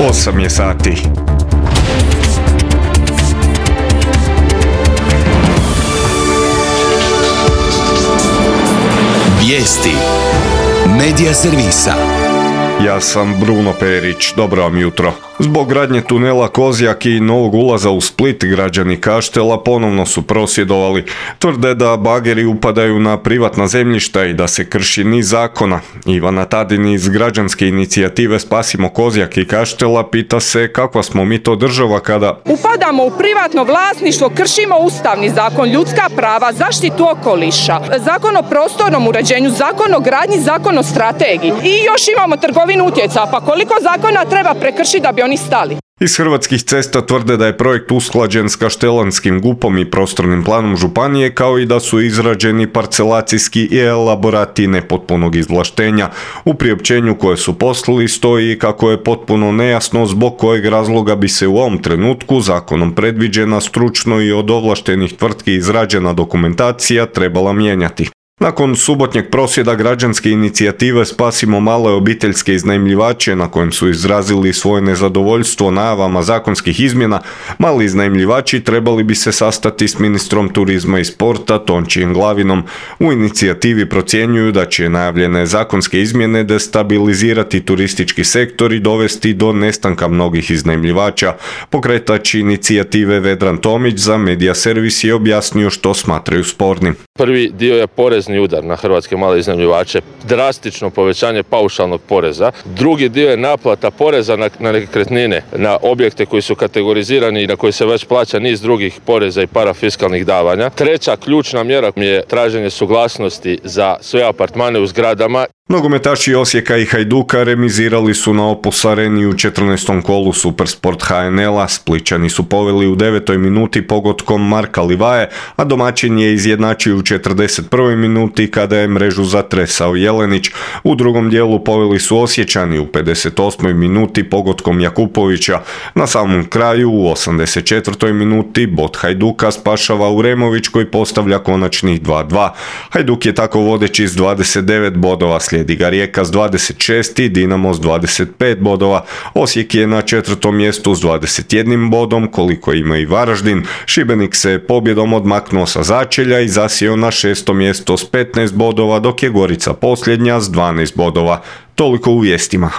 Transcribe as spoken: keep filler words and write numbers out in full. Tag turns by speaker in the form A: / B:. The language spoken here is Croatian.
A: osam je sati.
B: Vijesti Medija servisa.
A: Ja sam Bruno Perić, dobro vam jutro. Zbog gradnje tunela Kozjak i novog ulaza u Split, građani Kaštela ponovno su prosvjedovali. Tvrde da bageri upadaju na privatna zemljišta i da se krši niz zakona. Ivana Tadin iz građanske inicijative Spasimo Kozjak i Kaštela pita se kakva smo mi to država kada
C: upadamo u privatno vlasništvo, kršimo ustavni zakon, ljudska prava, zaštitu okoliša, zakon o prostornom uređenju, zakon o gradnji, zakon o strategiji i još imamo trgovinu utjecaja. Pa koliko zakona treba prekršiti da bi oni stali?
A: Iz Hrvatskih cesta tvrde da je projekt usklađen s kaštelanskim gupom i prostornim planom županije, kao i da su izrađeni parcelacijski i elaborati nepotpunog izvlaštenja. U priopćenju koje su poslali stoji kako je potpuno nejasno zbog kojeg razloga bi se u ovom trenutku zakonom predviđena stručno i od ovlaštenih tvrtki izrađena dokumentacija trebala mijenjati. Nakon subotnjeg prosvjeda građanske inicijative Spasimo male obiteljske iznajmljivače, na kojem su izrazili svoje nezadovoljstvo najavama zakonskih izmjena, mali iznajmljivači trebali bi se sastati s ministrom turizma i sporta Tončijem Glavinom. U inicijativi procjenjuju da će najavljene zakonske izmjene destabilizirati turistički sektor i dovesti do nestanka mnogih iznajmljivača. Pokretač inicijative Vedran Tomić za Medija servis je objasnio što smatraju spornim.
D: Prvi dio je porezni udar na hrvatske male iznajmljivače, drastično povećanje paušalnog poreza. Drugi dio je naplata poreza na, na nekretnine, na objekte koji su kategorizirani i na koji se već plaća niz drugih poreza i parafiskalnih davanja. Treća ključna mjera je traženje suglasnosti za sve apartmane u zgradama.
A: Nogometaši Osijeka i Hajduka remizirali su na Opus Areni u četrnaestom kolu Supersport H N L-a. Splićani su poveli u devetoj minuti pogodkom Marka Livaje, a domaćin je izjednačio u četrdeset prvoj minuti kada je mrežu zatresao Jelenić. U drugom dijelu poveli su Osječani u pedeset osmoj minuti pogodkom Jakupovića. Na samom kraju u osamdeset četvrtoj minuti bod Hajduka spašava Uremović koji postavlja konačnih dva dva. Hajduk je tako vodeći s dvadeset devet bodova, slijedi ga Rijeka s dvadeset šest i Dinamo s dvadeset pet bodova. Osijek je na četvrtom mjestu s dvadeset jednim bodom, koliko ima i Varaždin. Šibenik se pobjedom odmaknuo sa začelja i zasjeo na šesto mjesto s petnaest bodova, dok je Gorica posljednja s dvanaest bodova. Toliko u vijestima.